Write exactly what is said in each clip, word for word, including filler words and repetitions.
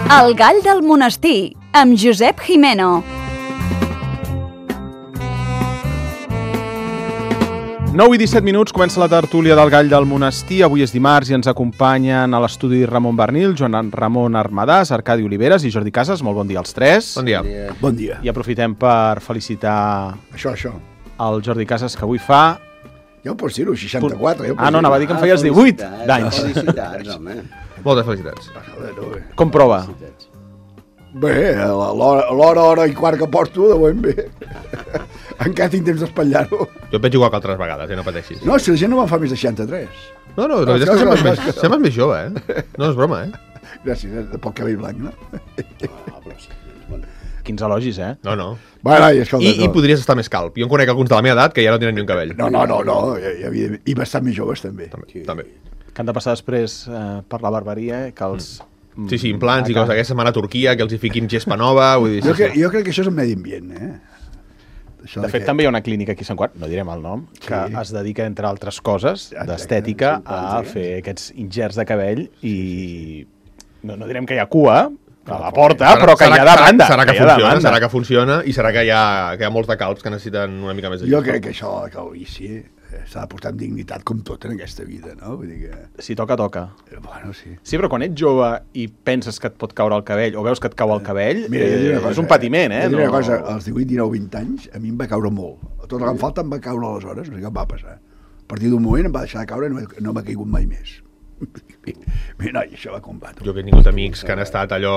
El gall del monestir, amb Josep Jimeno. nou i disset minuts, comença la tertúlia del Gall del Monestir. Avui és dimarts i ens acompanyen a l'estudi Ramon Bernil, Joan Ramon Armadàs, Arcadi Oliveres i Jordi Casas. Molt bon dia als tres. Bon dia. Bon dia. I aprofitem per felicitar Això, això. el Jordi Casas, que avui fa... Ja ho pots dir-ho, seixanta-quatre. Ja ho pots Ah, no, anava a dir que em feies divuit d'anys. Felicitats, home. Moltes felicitats. dir-ho. Com prova? Bé, l'hora, l'hora, hora i quart que porto, de ben bé. Encara tinc temps d'espatllar-ho. Jo et veig igual que altres vegades, eh? No pateixis. No, si la gent no me'n fa més de seixanta-tres. No, no, la veritat és que sembles més, sembles més jove, eh? No és broma, eh? Gràcies, eh? de poc cabell blanc, no? Quins elogis, eh? No, no. Bueno, i, escolta, I, I no. podries estar més calp. Jo en conec alguns de la meva edat que ja no tenen ni un cabell. No, no, no, no. I, i, i bastant més joves, també. També, també. Que han de passar després eh, per la barberia, eh, que els... Sí, sí, implants i coses. Aquesta setmana a Turquia, que els hi fiquin gespa nova, vull dir... Jo, Sí, que, sí. jo crec que això és un medi ambient, eh? Això De fet, que... també hi ha una clínica aquí a Sant Quart, no direm el nom, que Sí. es dedica, entre altres coses, Exacte, d'estètica, sí, a sí. fer aquests ingerts de cabell i... No, no direm que hi ha cua a la porta, però que hi ha demanda. Serà que, hi ha funciona, demanda. serà que funciona i serà que hi ha, que hi ha molts de calps que necessiten una mica més de Jo gespa. crec que això, que el vici eh, s'ha de portar amb dignitat com tot en aquesta vida, no? Vull dir que... Si toca, toca. eh, Bueno, sí. Sí, però quan ets jove i penses que et pot caure el cabell, o veus que et cau el cabell, Mira, jo et diré una eh, cosa, és un patiment, eh? Jo et diré una No- cosa, als divuit, dinou, vint anys, a mi em va caure molt. Tot el que em falta em va caure aleshores, no sé què em va passar. A partir d'un moment em va deixar de caure i no, no m'ha caigut mai més. Mira, noi, això va combatre. Jo que he tingut amics que han estat allò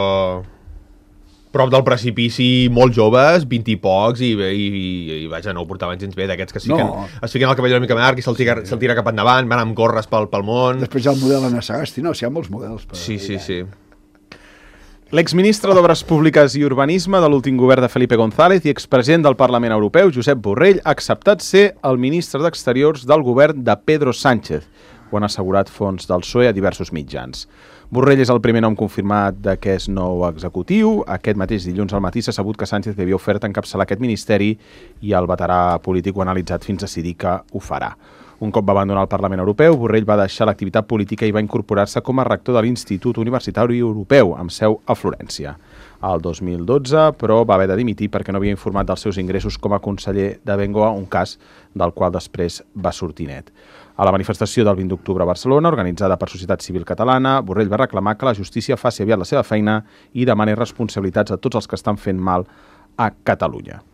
prop del precipici, molt joves, vint i pocs, i, i, i, i vaja, no ho portaven gens bé, d'aquests que es fiquen, No. es fiquen el cabell una mica llarg i se'l tira, se'l tira cap endavant, van amb gorres pel, pel món... Després hi ha el model Anna Sagasti, no? Si hi ha molts models. Però... Sí, sí, sí. L'exministre d'Obres Públiques i Urbanisme de l'últim govern de Felipe González i expresident del Parlament Europeu, Josep Borrell, ha acceptat ser el ministre d'Exteriors del govern de Pedro Sánchez. Ho han assegurat fonts del P S O E a diversos mitjans. Borrell és el primer nom confirmat d'aquest nou executiu. Aquest mateix dilluns al matí s'ha sabut que Sánchez li havia ofert encapçalar aquest ministeri i el veterà polític ho ha analitzat fins a decidir que ho farà. Un cop va abandonar el Parlament Europeu, Borrell va deixar l'activitat política i va incorporar-se com a rector de l'Institut Universitari Europeu, amb seu a Florència. El dos mil dotze, però, va haver de dimitir perquè no havia informat dels seus ingressos com a conseller de Bengoa, un cas del qual després va sortir net. A la manifestació del vint d'octubre a Barcelona, organitzada per Societat Civil Catalana, Borrell va reclamar que la justícia faci aviat la seva feina i demani responsabilitats a tots els que estan fent mal a Catalunya.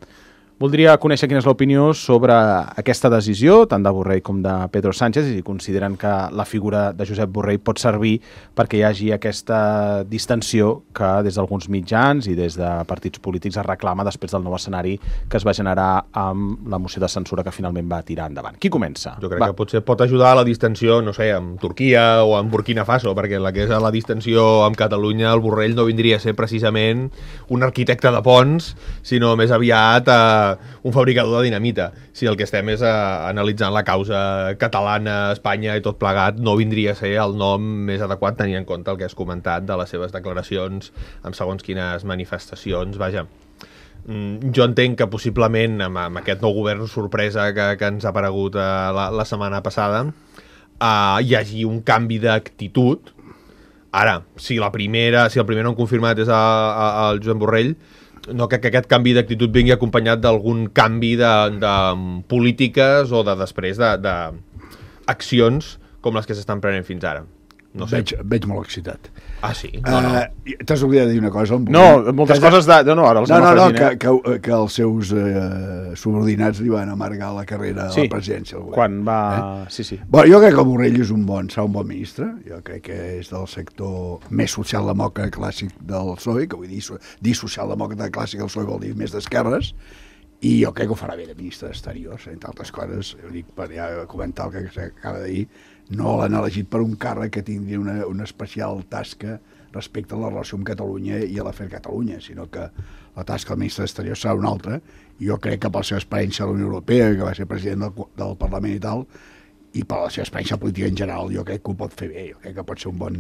Voldria conèixer quina és l'opinió sobre aquesta decisió, tant de Borrell com de Pedro Sánchez, i si consideren que la figura de Josep Borrell pot servir perquè hi hagi aquesta distensió que des d'alguns mitjans i des de partits polítics es reclama després del nou escenari que es va generar amb la moció de censura que finalment va tirar endavant. Qui comença? Jo crec Va. que potser pot ajudar a la distensió, no sé, amb Turquia o amb Burkina Faso, perquè la que és la distensió amb Catalunya, el Borrell no vindria a ser precisament un arquitecte de ponts, sinó més aviat eh, un fabricador de dinamita. Si el que estem és eh, analitzant la causa catalana, Espanya i tot plegat, no vindria a ser el nom més adequat tenint en compte el que has comentat de les seves declaracions amb segons quines manifestacions. Vaja, mm, jo entenc que possiblement amb, amb aquest nou govern sorpresa que, que ens ha aparegut eh, la, la setmana passada eh, hi hagi un canvi d'actitud. Ara, si la primera, si el primer nom confirmat és a, a, el Joan Borrell, no crec que aquest canvi d'actitud vingui acompanyat d'algun canvi de, de polítiques o de després de, de accions com les que s'estan prenent fins ara. No sé. Veig, veig molt excitat. Ah, sí? No, no. Uh, T'has oblidat de dir una cosa? No, moltes coses de... No, no, ara els No, anem no, no, afegint, que, eh? que, que els seus eh, subordinats li van amargar la carrera a Sí, la presidència. Del govern. quan va... Eh? Sí, sí. Bueno, jo crec que el Borrell és un bon, serà un bon ministre. Jo crec que és del sector més socialdemòcrata clàssic del P S O E, que vull dir, dir socialdemòcrata clàssic del P S O E vol dir més d'esquerres, i jo crec que ho farà bé de ministre d'Exteriors, entre altres coses. Jo dic, per ja comentar el que s'acaba de dir, no l'han elegit per un càrrec que tindria una, una especial tasca respecte a la relació amb Catalunya i a l'afer Catalunya, sinó que la tasca del ministre d'Exteriors serà una altra. Jo crec que per la seva experiència a la Unió Europea, que va ser president del, del Parlament i tal, i per la seva experiència política en general, jo crec que ho pot fer bé, jo crec que pot ser un bon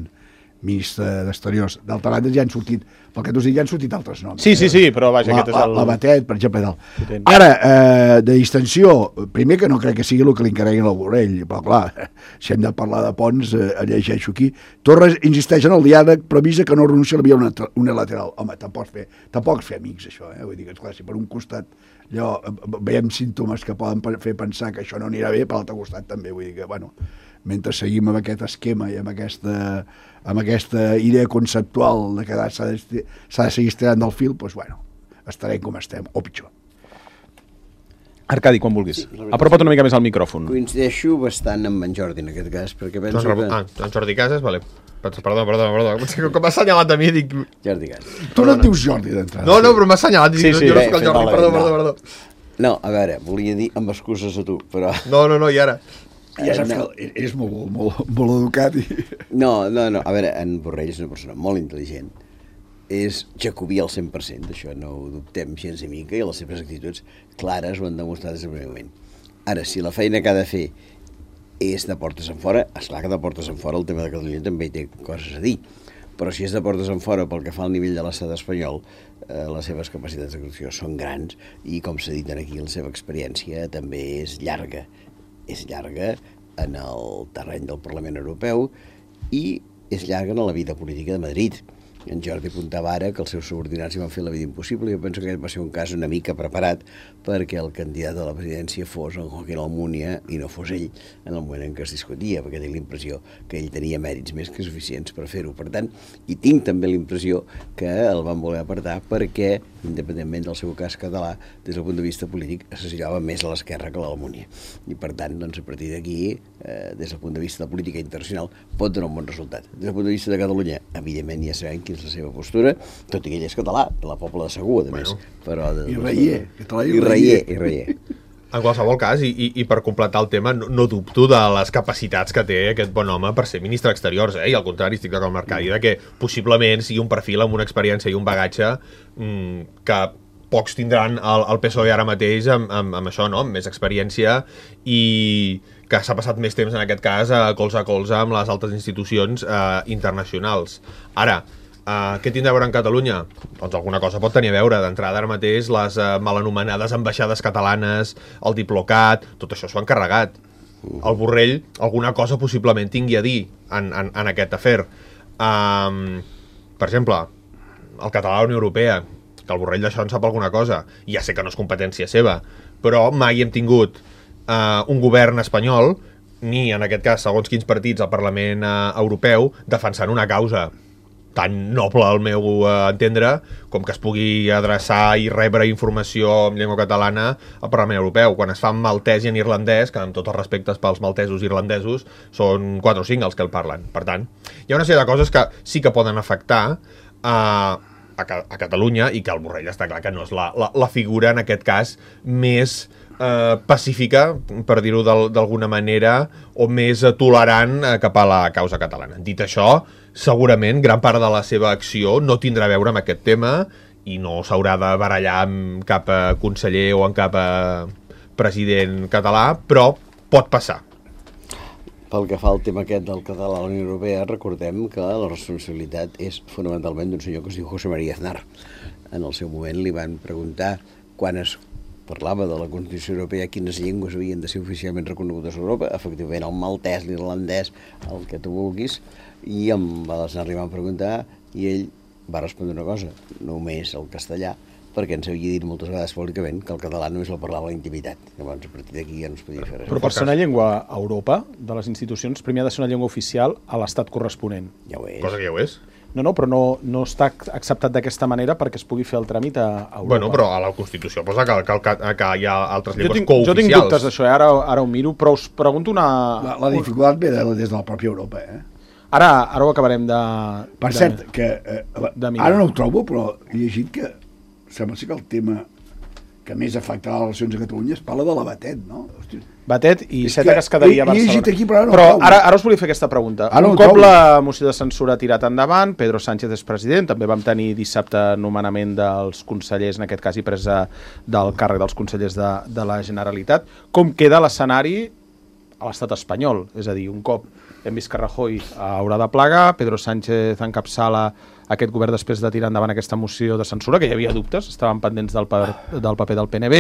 ministre d'Exteriors. D'altra banda, ja han sortit, pel que t'ho dic, ja han sortit altres noms. Sí, sí, sí, però vaja, la, aquest és el... La, la Batet, per exemple, i tal. Potent. Ara, eh, de distensió, primer que no crec que sigui el que li encarreguin al Borrell, però clar, si hem de parlar de ponts, eh, llegeixo aquí. Torres insisteix en el diàleg, però avisa que no renuncia a la via unilateral. Home, tampoc fer, tampoc fer amics, això, eh? Vull dir que, esclar, si per un costat allò, veiem símptomes que poden fer pensar que això no anirà bé, per l'altre costat també, vull dir que, bueno, mentre seguim amb aquest esquema i amb aquesta, amb aquesta idea conceptual de que s'ha de, s'ha de seguir estirant del fil, doncs, bueno, estarem com estem, o pitjor. Arcadi, quan vulguis. Sí, apropa't una mica més al micròfon. Coincideixo bastant amb en Jordi en aquest cas, perquè penso doncs, que... Ah, en Jordi Casas, vale. Perdó, perdó, perdó. Com m'ha assenyalat a mi, dic... Jordi Casas. Tu no et dius Jordi d'entrada. No, no, però m'ha assenyalat. Sí, sí. Jo no soc el Jordi, perdó, perdó, perdó. No, a veure, volia dir amb excuses a tu, però... No, no, no, i ara... Ja saps no. que és molt, molt, molt educat. I... No, no, no, a veure, en Borrell és una persona molt intel·ligent, és jacobí al cent per cent, d'això no ho dubtem gens ni mica, i les seves actituds clares ho han demostrat des del primer moment. Ara, si la feina que ha de fer és de portes enfora, esclar que de portes enfora el tema de Catalunya també hi té coses a dir, però si és de portes enfora pel que fa al nivell de l'estat espanyol, eh, les seves capacitats d'actuació són grans i, com s'ha dit aquí, la seva experiència també és llarga. És llarga en el terreny del Parlament Europeu i és llarga en la vida política de Madrid. En Jordi apuntava ara que els seus subordinats hi van fer la vida impossible i jo penso que aquest va ser un cas una mica preparat perquè el candidat a la presidència fos en Joaquín Almunia i no fos ell en el moment en què es discutia, perquè tinc l'impressió que ell tenia mèrits més que suficients per fer-ho. Per tant, i tinc també l'impressió que el van voler apartar perquè, independentment del seu cas català, des del punt de vista polític, associava més a l'esquerra que a l'Almunia. I per tant, doncs, a partir d'aquí, eh, des del punt de vista de política internacional, pot donar un bon resultat. Des del punt de vista de Catalunya, evidentment ja sabem quina és la seva postura, tot i que ell és català, de la Pobla de Segur, a més. Bueno. Però de, I reier, català i i reier. I reier. En qualsevol cas, i, i, i per completar el tema, no, no dubto de les capacitats que té aquest bon home per ser ministre d'Exteriors, eh? I al contrari, estic d'acord amb l'Arcadi, de que possiblement sigui un perfil amb una experiència i un bagatge mmm, que pocs tindran el, el P S O E ara mateix amb, amb, amb això, no? Amb més experiència i que s'ha passat més temps, en aquest cas, a colze a colze amb les altres institucions eh, internacionals. Ara, Uh, què tindrà a veure en Catalunya? Doncs alguna cosa pot tenir a veure. D'entrada, ara mateix, les uh, mal anomenades ambaixades catalanes, el Diplocat, tot això s'ho han carregat. El Borrell alguna cosa possiblement tingui a dir en, en, en aquest afer. Um, per exemple, el català a la Unió Europea, que el Borrell d'això en sap alguna cosa. Ja sé que no és competència seva, però mai hem tingut uh, un govern espanyol, ni en aquest cas, segons quins partits al Parlament uh, Europeu, defensant una causa tan noble al meu uh, entendre com que es pugui adreçar i rebre informació en llengua catalana al Parlament Europeu. Quan es fa en maltès i en irlandès, que amb tots els respectes pels maltesos i irlandesos, són quatre o cinc els que el parlen. Per tant, hi ha una sèrie de coses que sí que poden afectar uh, a, a Catalunya i que el Borrell està clar que no és la, la, la figura, en aquest cas, més Uh, pacífica, per dir-ho d'alguna manera, o més uh, tolerant uh, cap a la causa catalana. Dit això, segurament gran part de la seva acció no tindrà a veure amb aquest tema i no s'haurà de barallar amb cap uh, conseller o amb cap uh, president català, però pot passar. Pel que fa al tema aquest del català a la Unió Europea, recordem que la responsabilitat és fonamentalment d'un senyor que es diu José María Aznar. En el seu moment li van preguntar quan es parlava de la Constitució Europea quines llengües havien de ser oficialment reconegudes a Europa, efectivament el maltès, l'irlandès, el que tu vulguis, i em va arribar a preguntar i ell va respondre una cosa, només el castellà, perquè ens havia dit moltes vegades públicament que el català només el parlava a la intimitat. Llavors, a partir d'aquí ja no es podia fer res. Però per ser una llengua a Europa, de les institucions, primer ha de ser una llengua oficial a l'estat corresponent. Ja ho és. Cosa que ja ho és. No, no, però no, no està acceptat d'aquesta manera perquè es pugui fer el tràmit a Europa. Bueno, però a la Constitució posa que, que, que, que hi ha altres llengües jo tinc, cooficials. Jo tinc dubtes d'això, eh? ara, ara ho miro, però us pregunto una... La, la dificultat ve de, des de la pròpia Europa, eh? Ara, ara ho acabarem de... Per de, cert, que eh, la, ara no ho trobo, però he llegit que sembla ser que el tema que més afectarà les relacions a Catalunya es parla de la Batet, no? Hosti. Batet i Iceta, que es quedaria a Barcelona. Aquí, però ara, no però ara, ara us volia fer aquesta pregunta. Ara Un no cop trobo. la moció de censura ha tirat endavant, Pedro Sánchez és president, també vam tenir dissabte nomenament dels consellers, en aquest cas i presa del càrrec dels consellers de, de la Generalitat. Com queda l'escenari a l'estat espanyol. És a dir, un cop hem vist que Rajoy haurà de plegar, Pedro Sánchez encapçala aquest govern després de tirar endavant aquesta moció de censura, que hi havia dubtes, estaven pendents del, per, del paper del P N B,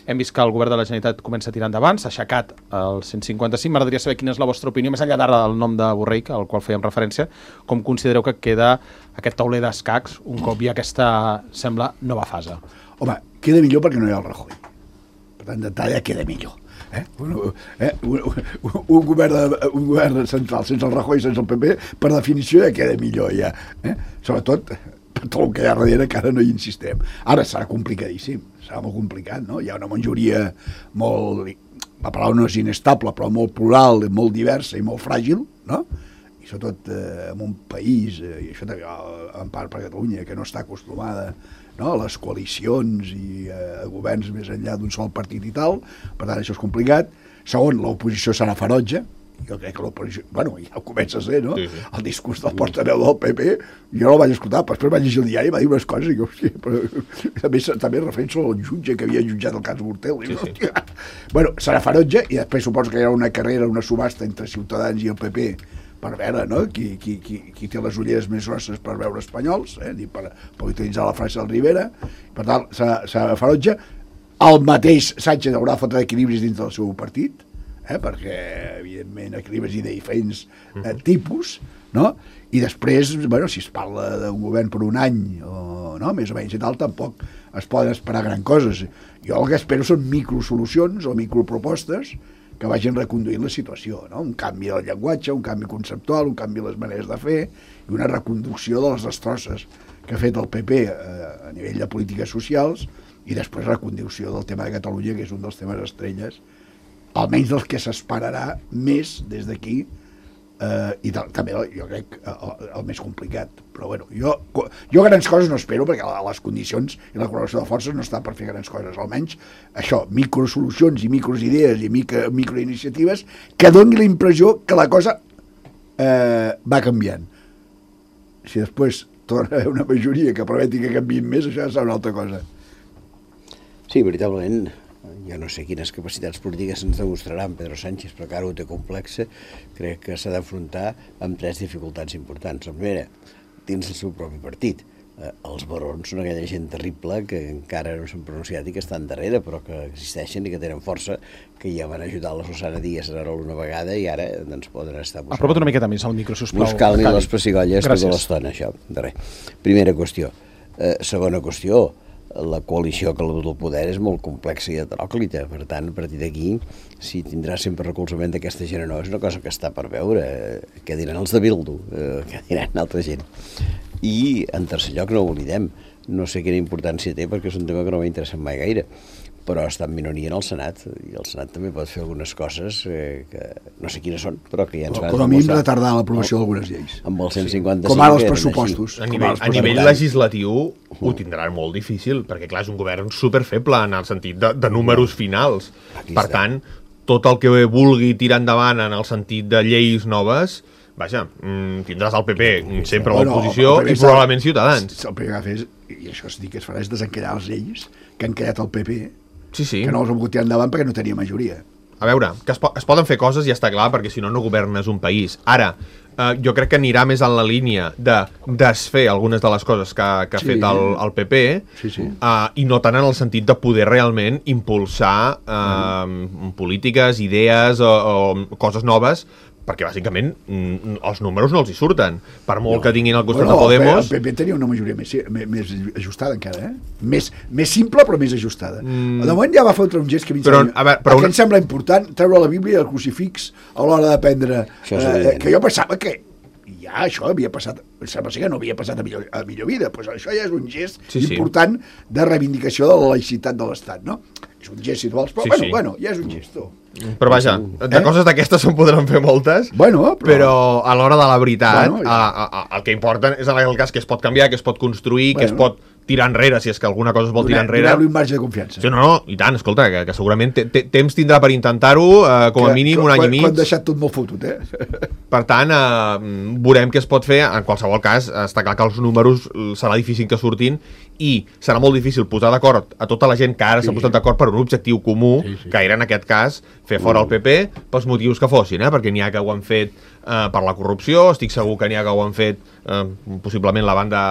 hem vist que el govern de la Generalitat comença a tirar endavant, s'ha aixecat el cent cinquanta-cinc, m'agradaria saber quina és la vostra opinió, més enllà d'ara del nom de Borrell, al qual fèiem referència, com considereu que queda aquest tauler d'escacs un cop hi ha aquesta, sembla, nova fase? Home, queda millor perquè no hi ha el Rajoy. Per tant, d'entrada queda millor. Eh? Un, eh? Un, un, un, govern de, un govern central sense el Rajoy, sense el P P, per definició ja queda millor ja. Eh? Sobretot per tot el que hi ha darrere, que ara no hi insistem. Ara serà complicadíssim, serà molt complicat, no? Hi ha una majoria molt, la paraula no és inestable, però molt plural, molt diversa i molt fràgil, no? I sobretot eh, en un país, eh, i això també en part per Catalunya, que no està acostumada, no, a les coalicions i a governs més enllà d'un sol partit i tal, per tant això és complicat. Segon, l'oposició serà ferotge, jo crec que l'oposició, bueno, ja comença a ser, no? Sí, sí. El discurs del portaveu del P P, jo no el vaig escoltar, però després vaig llegir el diari i va dir unes coses i jo, hòstia, però també, també referència al jutge que havia jutjat el cas Gürtel. Sí, sí. Hòstia. Bueno, serà ferotge i després suposo que hi haurà una carrera, una subhasta entre Ciutadans i el P P per veure, no?, qui, qui, qui, qui té les ulleres més grosses per veure espanyols, eh? per, per utilitzar la frase del Rivera. Per tant, serà, serà ferotge. El mateix Sánchez haurà de fotre equilibris dins del seu partit, eh? perquè, evidentment, equilibris i de diferents eh, tipus, no? I després, bueno, si es parla d'un govern per un any, o, no?, més o menys i tal, tampoc es poden esperar gran coses. Jo el que espero són microsolucions o micropropostes que vagin reconduint la situació, no? Un canvi del llenguatge, un canvi conceptual, un canvi de les maneres de fer i una reconducció de les destrosses que ha fet el P P eh, a nivell de polítiques socials i després reconducció del tema de Catalunya, que és un dels temes estrelles, almenys dels que s'esperarà més des d'aquí, eh, i tal, també jo crec el, el més complicat. Però bueno, jo, jo grans coses no espero perquè les condicions i la correlació de forces no estan per fer grans coses, almenys això, microsolucions i microidees i micro, microiniciatives que doni la impressió que la cosa eh, va canviant. Si després torna a haver una majoria que permeti que canviïn més, això ja serà una altra cosa. Sí, veritablement, jo no sé quines capacitats polítiques ens demostraran Pedro Sánchez, però que ara ho té complexa, crec que s'ha d'afrontar amb tres dificultats importants. La primera, dins del seu propi partit. Eh, els barons són aquella gent terrible que encara no s'han pronunciat i que estan darrere, però que existeixen i que tenen força, que ja van ajudar la Susana Díaz a una vegada i ara ens poden estar buscant. Apropa't una miqueta més al micro, sisplau. Buscant ni les pessigolles tota l'estona, això. De res. Primera qüestió. Eh, segona qüestió, la coalició que el poder és molt complexa i heteròclita, per tant, a partir d'aquí, si tindrà sempre recolzament d'aquesta gent o no, és una cosa que està per veure, eh, què diran els de Bildu, eh, què diran altra gent. I, en tercer lloc, no ho oblidem, no sé quina importància té perquè és un tema que no m'ha interessat mai gaire, però està en minoria en el Senat, i el Senat també pot fer algunes coses eh, que no sé quines són, però que ja ens van demostrar. Com a mínim retardar l'aprovació d'algunes lleis. Amb el cent cinquanta-cinc... Com ara els pressupostos. A nivell, a nivell legislatiu ho tindran molt difícil, perquè clar, és un govern superfeble en el sentit de, de números finals. Per tant, tot el que vulgui tirar endavant en el sentit de lleis noves, vaja, tindràs el P P sempre a l'oposició i probablement Ciutadans. El primer que ha fet, i això es diu que es farà, és desencallar les lleis que han creat el P P, sí, sí. que no els han pogut tirar endavant perquè no tenia majoria. A veure, que es, po es poden fer coses i ja està clar, perquè si no, no governes un país. Ara, eh, jo crec que anirà més en la línia de desfer algunes de les coses que, que ha sí. fet el, el P P sí, sí. Uh, i no tant en el sentit de poder realment impulsar uh, mm. polítiques, idees o, o coses noves, perquè bàsicament els números no els hi surten. Per molt no. que tinguin al costat bueno, de Podemos... El P P tenia una majoria més, més ajustada encara, eh? Més, més simple però més ajustada. Mm. De moment ja va fotre un gest que a mi però, sembla, a veure, però una... em sembla important treure la Bíblia i el crucifix a l'hora de prendre... Eh, que jo pensava que ja això havia passat, sembla que no havia passat a millor, a millor vida, pues això ja és un gest sí, important sí. de reivindicació de la laïcitat de l'Estat, no? És un gest, si tu vols, però sí, bueno, sí. bueno, ja és un gest. Però vaja, de eh? coses d'aquestes se'n podran fer moltes, bueno, però... però a l'hora de la veritat, bueno, ja. a, a, a, el que importa és en el cas que es pot canviar, que es pot construir, bueno. que es pot tirar enrere, si és que alguna cosa es vol tirar enrere. Donar-li un marge de confiança. Sí, no, no, i tant, escolta, que, que segurament te, te, temps tindrà per intentar-ho, eh, com a que, mínim un any i mig. Quan deixat tot molt fotut, eh? Per tant, eh, veurem què es pot fer. En qualsevol cas, està clar que els números serà difícil que surtin i serà molt difícil posar d'acord a tota la gent que ara s'ha sí. posat d'acord per un objectiu comú, sí, sí. que era, en aquest cas, fer fora el P P pels motius que fossin, eh? Perquè n'hi ha que ho han fet eh, per la corrupció, estic segur que n'hi ha que ho han fet eh, possiblement la banda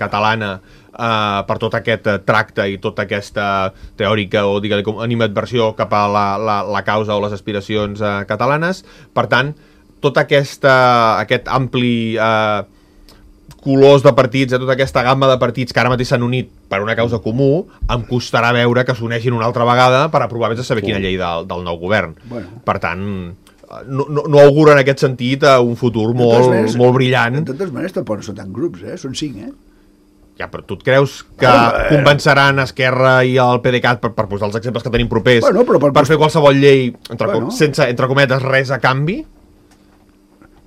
catalana Uh, per tot aquest uh, tracte i tota aquesta teòrica o digue-li com animadversió cap a la, la, la causa o les aspiracions uh, catalanes. Per tant, tot aquesta, aquest ampli uh, colors de partits, tota aquesta gamma de partits que ara mateix s'han unit per una causa comú, em costarà veure que s'uneixin una altra vegada per aprovar vés a saber quina llei del, del nou govern. Bueno. Per tant, no, no, no auguro en aquest sentit uh, un futur molt, maneres, molt brillant. De totes maneres tampoc no són tant grups, eh? Són cinc, eh? Ja, però tu et creus que bueno, eh... convenceran Esquerra i el PDeCAT per, per posar els exemples que tenim propers bueno, però per, per fer qualsevol llei entre, bueno. sense, entre cometes, res a canvi?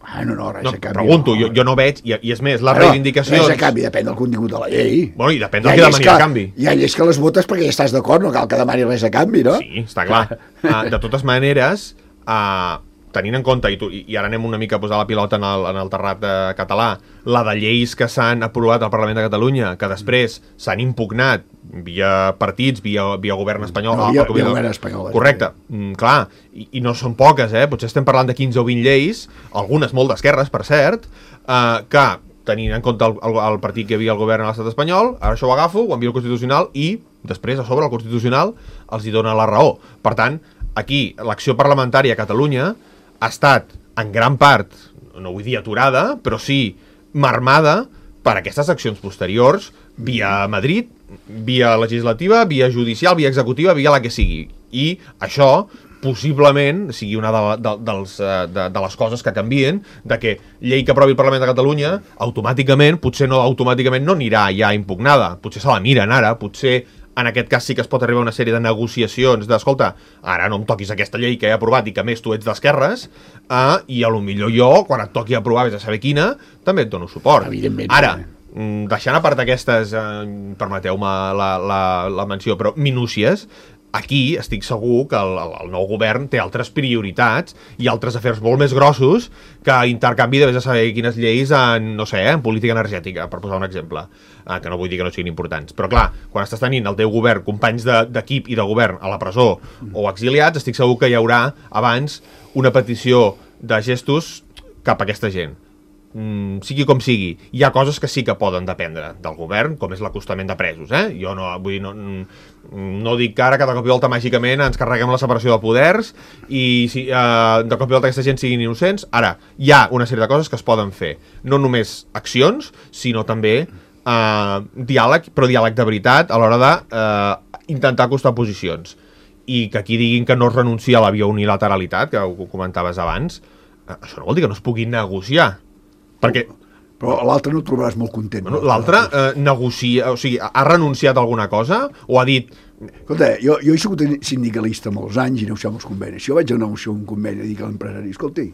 Ah, no, no, res no, a canvi. Pregunto, no. jo, jo no veig, i, i és més, les bueno, reivindicacions... Res a canvi, depèn del contingut de la llei. Bueno, i depèn del que demani a canvi. Hi ha lleis que les votes perquè ja estàs d'acord, no cal que demani res a canvi, no? Sí, està clar. uh, de totes maneres... Uh, tenint en compte, i, tu, i ara anem una mica a posar la pilota en el, en el terrat eh, català, la de lleis que s'han aprovat al Parlament de Catalunya, que després s'han impugnat via partits, via, via govern espanyol... No, via, via govern espanyol. Correcte, mm, clar, i, i no són poques, eh? Potser estem parlant de quinze o vint lleis, algunes molt d'esquerres, per cert, eh, que, tenint en compte el, el, el partit que hi havia al govern a l'estat espanyol, ara això ho agafo, ho envio al Constitucional i després, a sobre, el Constitucional els hi dona la raó. Per tant, aquí, l'acció parlamentària a Catalunya ha estat, en gran part, no vull dir aturada, però sí marmada per aquestes accions posteriors via Madrid, via legislativa, via judicial, via executiva, via la que sigui. I això possiblement sigui una de, de, dels, de, de les coses que canvien, de que llei que aprovi el Parlament de Catalunya, automàticament, potser no automàticament no anirà ja impugnada, potser se la miren ara, potser en aquest cas sí que es pot arribar a una sèrie de negociacions d'escolta, ara no em toquis aquesta llei que he aprovat i que més tu ets d'esquerres, eh, i a lo millor jo, quan et toqui aprovar, vés a saber quina, també et dono suport. Ara, deixant a part aquestes, eh, permeteu-me la, la, la menció, però minúcies, aquí estic segur que el, el nou govern té altres prioritats i altres afers molt més grossos que intercanvi de vés a saber quines lleis en, no sé, en política energètica, per posar un exemple, eh, que no vull dir que no siguin importants. Però clar, quan estàs tenint el teu govern, companys d'equip de, i de govern a la presó o exiliats, estic segur que hi haurà abans una petició de gestos cap a aquesta gent. Mm, sigui com sigui, hi ha coses que sí que poden dependre del govern, com és l'acostament de presos, eh? Jo no, vull dir, no, no dic que ara que de cop i volta màgicament ens carreguem la separació de poders i si, eh, de cop i volta aquesta gent siguin innocents. Ara, hi ha una sèrie de coses que es poden fer, no només accions, sinó també eh, diàleg, però diàleg de veritat a l'hora de eh, intentar acostar posicions, i que aquí diguin que no es renuncia a la via unilateralitat, que ho comentaves abans, eh, això no vol dir que no es pugui negociar. Perquè... Però l'altre no el trobaràs molt content. Bueno, l'altre eh, negocia, o sigui, ha renunciat a alguna cosa o ha dit... Escolta, jo, jo he sigut sindicalista molts anys i negociar molts convenis. Si jo vaig a negociar un conveni i dic a l'empresari, escolti,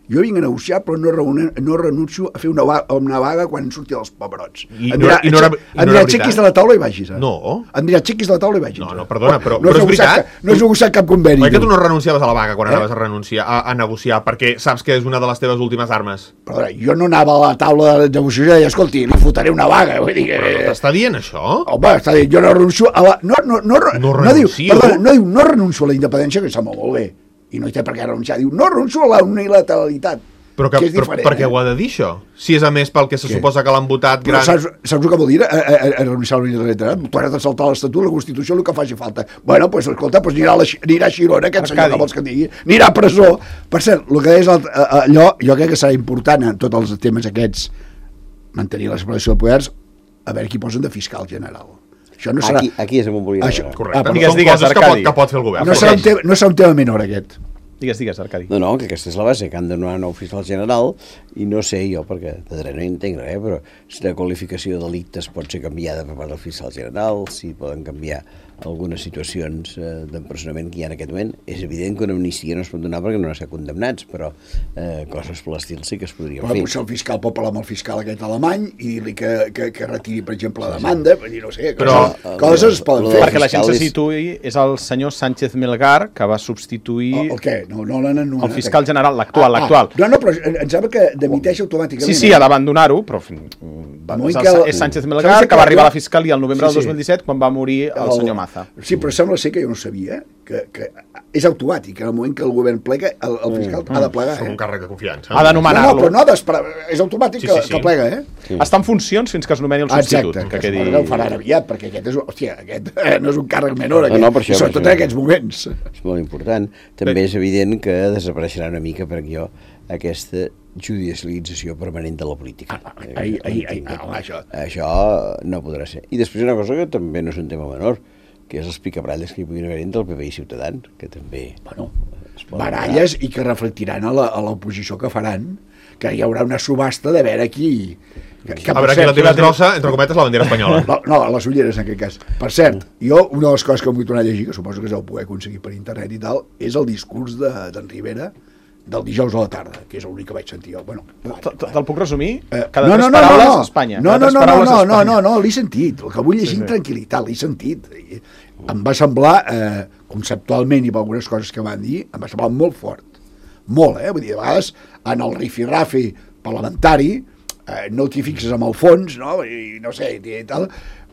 jo vinc a negociar però no, reunir, no renuncio a fer una vaga, una vaga quan surti els pebrots. I em dirà, no, no no aixequis de la taula i vagis. Eh? No. Em dirà, aixequis de la taula i vagis. No, no, perdona, però, no però és veritat. No has negociat cap conveni. Oi que tu no renunciaves a la vaga quan eh? anaves a renunciar, a, a negociar, perquè saps que és una de les teves últimes armes? Perdona, jo no anava a la taula de negociació i deia, escolti, li fotré una vaga. Vull dir que... Però no t'està dient això? Home, està dient, jo no renuncio a la... No, no, no, no, no renuncio. No diu, perdona, no diu, no renuncio a la independència, que està molt, molt bé. I no hi té per què renunciar. Diu, no renuncio a la unilateralitat. Però, que, que però per què eh? ho ha de dir, això? Si és a més pel que se què? Suposa que l'han votat gran... Saps, saps el que vol dir? A, a, a renunciar a la unilateralitat? Tu has de saltar l'Estatut, la Constitució, el que faci falta. Bueno, doncs, pues, escolta, pues anirà, a la, anirà a Girona, aquest senyor que vols que digui, anirà a presó. Per cert, el que és allò, jo crec que serà important en tots els temes aquests, mantenir la separació de poders, a veure qui posen de fiscal general. Això no serà... Aquí, aquí és on volia Això, correcte. Ah, digues, digues, coses que pot, que pot fer el govern. No serà, un tema, no serà un tema menor, aquest. Digues, digues, Arcadi. No, no, que aquesta és la base, que han de donar un nou fiscal general, i no sé jo, perquè de dret no hi entenc res, però si la qualificació de delictes pot ser canviada per part del fiscal general, si poden canviar algunes situacions eh, d'empresonament que hi ha en aquest moment. És evident que una amnistia no es pot donar perquè no han estat condemnats, però eh, coses per l'estil sí que es podrien però, fer. Potser el fiscal pot parlar amb el fiscal aquest alemany i dir-li que, que, que retiri, per exemple, la demanda, sí, sí. dir, no sé, però, coses, coses es poden fer. Perquè la gent se situï, és el senyor Sánchez Melgar, que va substituir... El, el què? No, no l'han anomenat. El fiscal general, l'actual, ah, l'actual. Ah, no, no, però em sembla que demiteix automàticament. Sí, sí, ha d'abandonar-ho, però... Va, és, el, és Sánchez Melgar, que va arribar a la fiscalia el novembre sí, sí. del dos mil disset, quan va morir el, el senyor Maza. Sí, però sembla ser que jo no sabia, que, que és automàtic, en el moment que el govern plega, el, el fiscal mm. ha de plegar. És eh? un càrrec de confiança. Ha d'anomenar-lo. No, no, però no ha d'esperar, és automàtic sí, sí, sí. que, que plega, eh? Sí. Està en funcions fins que es nomeni el substitut. Exacte, que, que quedi... ho faran aviat, perquè aquest és, hòstia, aquest no és un càrrec menor, aquest, no, no, per això, sobretot per en aquests moments. És molt important. També Bé. és evident que desapareixerà una mica per jo aquesta judicialització permanent de la política. Ah, ai, ai, ai, ai, això. Això no podrà ser. I després una cosa que també no és un tema menor, que és els picabralles que hi puguin haver entre el P P i Ciutadans, que també... Bueno, baralles i que reflectiran a l'oposició que faran, que hi haurà una subhasta de veure qui... Que, que a veure, aquí la teva grossa, entre cometes, la bandera espanyola. No, no, les ulleres, en aquest cas. Per cert, jo, una de les coses que em vull tornar a llegir, que suposo que es deu poder aconseguir per internet i tal, és el discurs d'en de, Rivera del dijous a la tarda, que és l'únic que vaig sentir jo. Bueno, te'l puc resumir? Cada no, no, tres paraules no, no. Espanya. No, no, no, no, no, no, no, no, l'he sentit. El que vull llegir sí, sí. amb tranquil·litat, l'he sentit. Em va semblar, eh, conceptualment i per algunes coses que van dir, em va semblar molt fort. Molt, eh? Vull dir, a vegades, en el rifi-rafi parlamentari, eh, no t'hi fixes amb el fons, no? I no sé, i tal...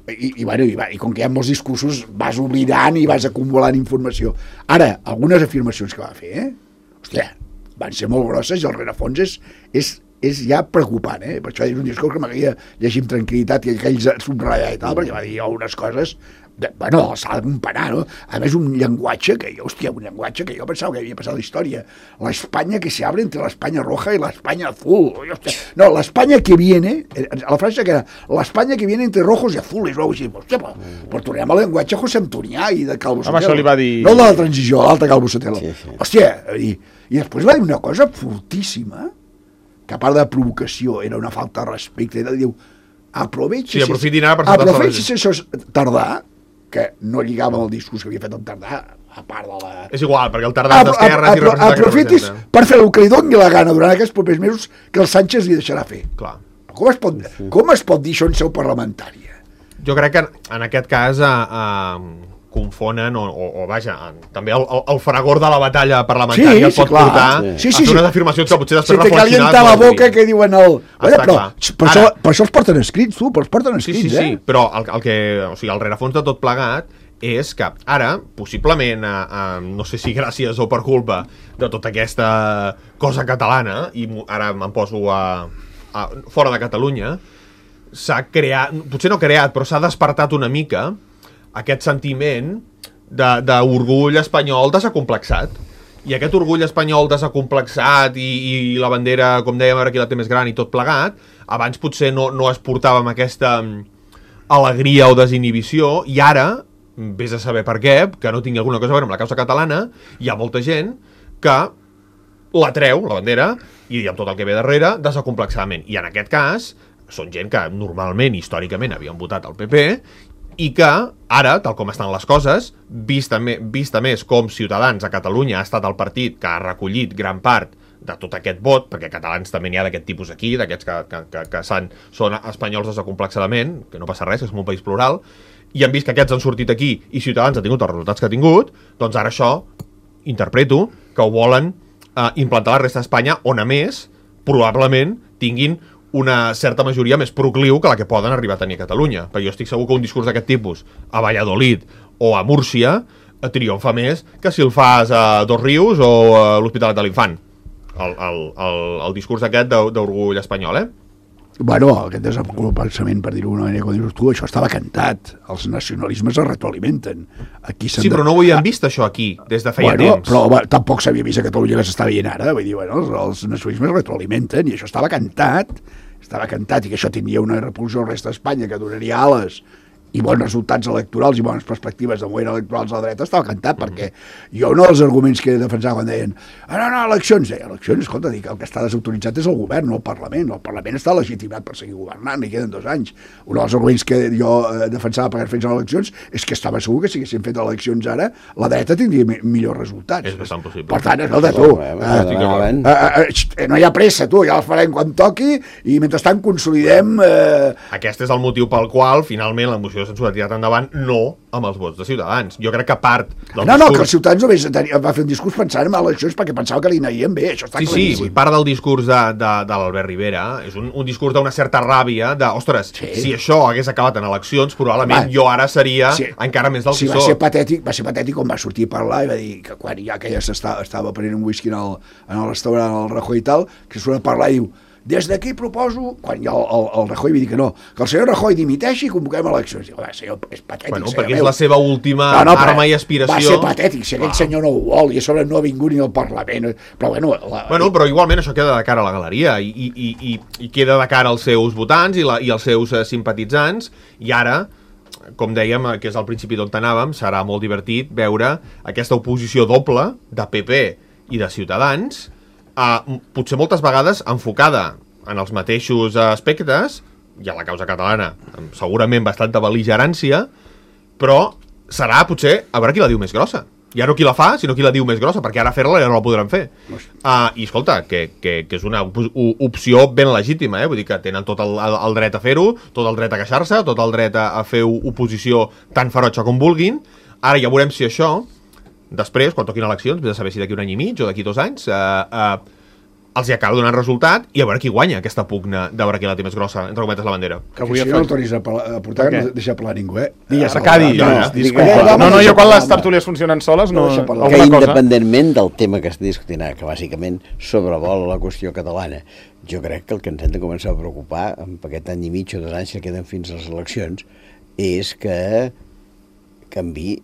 I, i, bueno, i, i com que hi ha molts discursos vas oblidant i vas acumulant informació. Ara, algunes afirmacions que va fer, eh? Hòstia, van ser molt grosses i el rerefons és, és, és ja preocupant, eh? Per això és un discurs que m'agradaria llegir amb tranquil·litat i aquells subratllar i tal, perquè va dir unes coses... De, bueno, s'ha de comparar, no? A més, un llenguatge que jo, hòstia, un llenguatge que jo pensava que havia passat a la història. La España que se abre entre la España roja y la España azul. Hòstia. No, la España que viene, la frase que era, la España que viene entre rojos y azules, o així. Hòstia, però, però tornem al llenguatge José Antonià i de Calvo Sotelo. Home, això li va dir... No el de la transició, l'altre Calvo Sotelo. Sí, sí. Hòstia, i, i després va dir una cosa fortíssima, que a part de provocació era una falta de respecte, i diu, aprovechi... Sí, aprofitin ara per saltar-se aprovechi això tardà, que no lligava amb el discurs que havia fet el Tardà, a part de la... És igual, perquè el Tardà d'esquerres i representa... Aprofitis per fer el que li doni la gana durant aquests propers mesos que el Sánchez li deixarà fer. Clar. Com es pot, com es pot dir això en seu parlamentària? Jo crec que en aquest cas eh, eh, confonen, o, o, o vaja, també el, el, el fragor de la batalla parlamentària sí, el pot sí, portar sí, sí, a fer unes afirmacions que potser després reflexionar... Se te calienta la boca que diuen el... Bueno, però, per, Ara, això, per això els porten escrits, tu, però els porten escrits, sí, sí, eh? Sí, però el, el que... O sigui, el rerefons de tot plegat és que ara, possiblement, eh, eh, no sé si gràcies o per culpa de tota aquesta cosa catalana, i ara me'n poso a, a, fora de Catalunya, s'ha creat, potser no creat, però s'ha despertat una mica aquest sentiment d'orgull espanyol desacomplexat. I aquest orgull espanyol desacomplexat i, i la bandera, com dèiem, ara qui la té més gran i tot plegat, abans potser no, no es portava amb aquesta alegria o desinhibició, i ara, vés a saber per què, que no tingui alguna cosa a veure amb la causa catalana, hi ha molta gent que la treu, la bandera, i amb tot el que ve darrere, desacomplexadament. I en aquest cas, són gent que normalment, històricament, havien votat al P P, i que ara, tal com estan les coses, vista, me, vista més com Ciutadans a Catalunya ha estat el partit que ha recollit gran part de tot aquest vot, perquè catalans també n'hi ha d'aquest tipus aquí, d'aquests que, que, que, que són, són espanyols desacomplexadament, que no passa res, és un país plural, i han vist que aquests han sortit aquí i Ciutadans ha tingut els resultats que ha tingut, doncs ara això, interpreto, que ho volen eh, implantar a la resta d'Espanya, on a més, probablement, tinguin una certa majoria més procliu que la que poden arribar a tenir a Catalunya. Perquè jo estic segur que un discurs d'aquest tipus a Valladolid o a Múrcia triomfa més que si el fas a Dos Rius o a l'Hospitalet de l'Infant. El, el, el, el discurs aquest d'orgull espanyol, eh? Bueno, aquest desenvolupament, per dir-ho d'una manera, com dius tu, això estava cantat. Els nacionalismes es retroalimenten. Aquí sí, però no ho havíem vist, això, aquí, des de feia bueno, temps. Però bueno, tampoc s'havia vist a Catalunya que s'està veient ara. Vull dir, bueno, els, els nacionalismes es retroalimenten i això estava cantat. Estava cantat i que això tindria una repulsió al resta d'Espanya que donaria ales i bons resultats electorals i bones perspectives de moviment electorals a la dreta, estava cantat, perquè jo no els arguments que defensava quan deien ah, no, no, eleccions, deia, eleccions, escolta, dic, el que està desautoritzat és el govern, no el Parlament, el Parlament està legitimat per seguir governant, i queden dos anys. Un dels arguments que jo eh, defensava perquè fes eleccions és que estava segur que si haguessin fet eleccions ara, la dreta tindria mi millors resultats. És bastant possible. Per tant, escolta, tu, eh, eh, eh, no hi ha pressa, tu, ja els farem quan toqui, i mentrestant consolidem... Eh... Aquest és el motiu pel qual, finalment, la moció de censura ha tirat endavant no amb els vots de Ciutadans. Jo crec que part del no, discurs... No, que els Ciutadans només va fer un discurs pensant en eleccions perquè pensava que li anaien bé, això està sí, claríssim. Sí, part del discurs de, de, de l'Albert Rivera és un, un discurs d'una certa ràbia de, ostres, sí. si això hagués acabat en eleccions, probablement va, jo ara seria sí, encara més del sí, que va sóc. Ser patètic, va ser patètic quan va sortir a parlar i va dir que quan ja que ja estava, estava prenent un whisky en el, en el restaurant al Rajoy i tal, que surt a parlar i diu des d'aquí proposo, quan ja el, el, el Rajoy va dir que no, que el senyor Rajoy dimiteixi i convoquem eleccions. Diu, senyor, és patètic. Bueno, perquè és la seva última no, no, arma i aspiració. Va ser patètic, si aquell wow. senyor no ho vol, i a sobre no ha vingut ni al Parlament. Però bueno... La... Bueno, però igualment això queda de cara a la galeria i, i, i, i, i queda de cara als seus votants i, la, i als seus uh, simpatitzants, i ara, com dèiem, que és al principi d'on anàvem, serà molt divertit veure aquesta oposició doble de P P i de Ciutadans, Uh, potser moltes vegades enfocada en els mateixos aspectes, i a la causa catalana amb segurament bastanta bel·ligerància, però serà potser a veure qui la diu més grossa. Ja no qui la fa, sinó qui la diu més grossa, perquè ara fer-la ja no la podran fer. Uh, I escolta, que, que, que és una op opció ben legítima, eh? Vull dir que tenen tot el, el, el dret a fer-ho, tot el dret a queixar-se, tot el dret a, a fer oposició tan ferotge com vulguin. Ara ja veurem si això... Després, quan toquin eleccions, vés a saber si d'aquí un any i mig o d'aquí dos anys, eh, eh, els hi acaba donant resultat i a veure qui guanya aquesta pugna de veure qui la té més grossa, entre cometes, la bandera. Que avui si no el tornis a, a portar, no deixa parlar ningú, eh? Digues, Arcadi, no, no, disculpa. No, no, jo quan les tertúlies funcionen soles, no... Que independentment del tema que estic discutint, que bàsicament sobrevola la qüestió catalana, jo crec que el que ens hem de començar a preocupar amb aquest any i mig o dos anys que queden fins a les eleccions és que canvi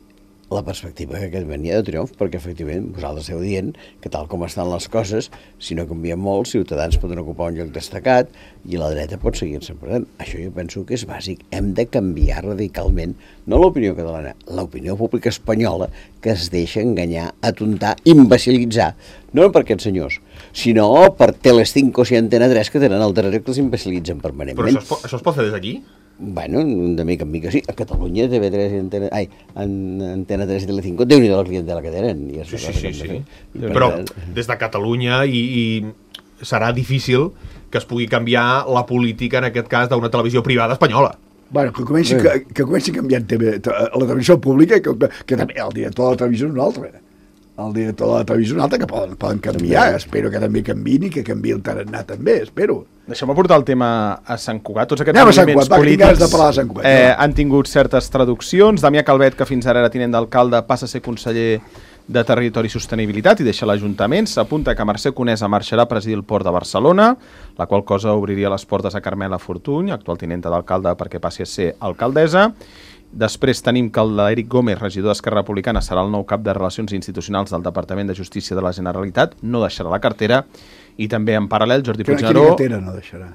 la perspectiva que aquest venia de triomf, perquè efectivament vosaltres esteu dient que tal com estan les coses, si no canvien molt, Ciutadans poden ocupar un lloc destacat i la dreta pot seguir-se perdent. Això jo penso que és bàsic. Hem de canviar radicalment, no l'opinió catalana, l'opinió pública espanyola, que es deixa enganyar, atontar, imbecilitzar, no per aquests senyors, sinó per Telecinco i Antena tres, que tenen el darrere que els imbecilitzen permanentment. Però això es pot, això es pot fer des d'aquí? Bueno, de mica en mica sí. A Catalunya, T V tres i Antena... Ai, en Antena tres i Telecinco, Déu-n'hi-do la clientela que tenen. I sí, sí, sí, sí. Però des de Catalunya i, i serà difícil que es pugui canviar la política, en aquest cas, d'una televisió privada espanyola. Bueno, que comenci, que, que comenci canviant T V, la televisió pública, que, que també el director de la televisió és un altre. El director de la televisió és un altre, que poden, poden canviar. També. Espero que també canviïn i que canviï el tarannà també, espero. Deixem-me portar el tema a Sant Cugat. Tots aquests Anem moviments Cugat, polítics de parlar de Sant Cugat, eh, no? han tingut certes traduccions. Damià Calvet, que fins ara era tinent d'alcalde, passa a ser conseller de Territori i Sostenibilitat i deixa l'Ajuntament. S'apunta que Mercè Conesa marxarà a presidir el Port de Barcelona, la qual cosa obriria les portes a Carmela Fortuny, actual tinenta d'alcalde, perquè passi a ser alcaldessa. Després tenim que l'Eric Gómez, regidor d'Esquerra Republicana, serà el nou cap de Relacions Institucionals del Departament de Justícia de la Generalitat, no deixarà la cartera, i també en paral·lel Jordi Puigneró... Quina cartera no deixarà?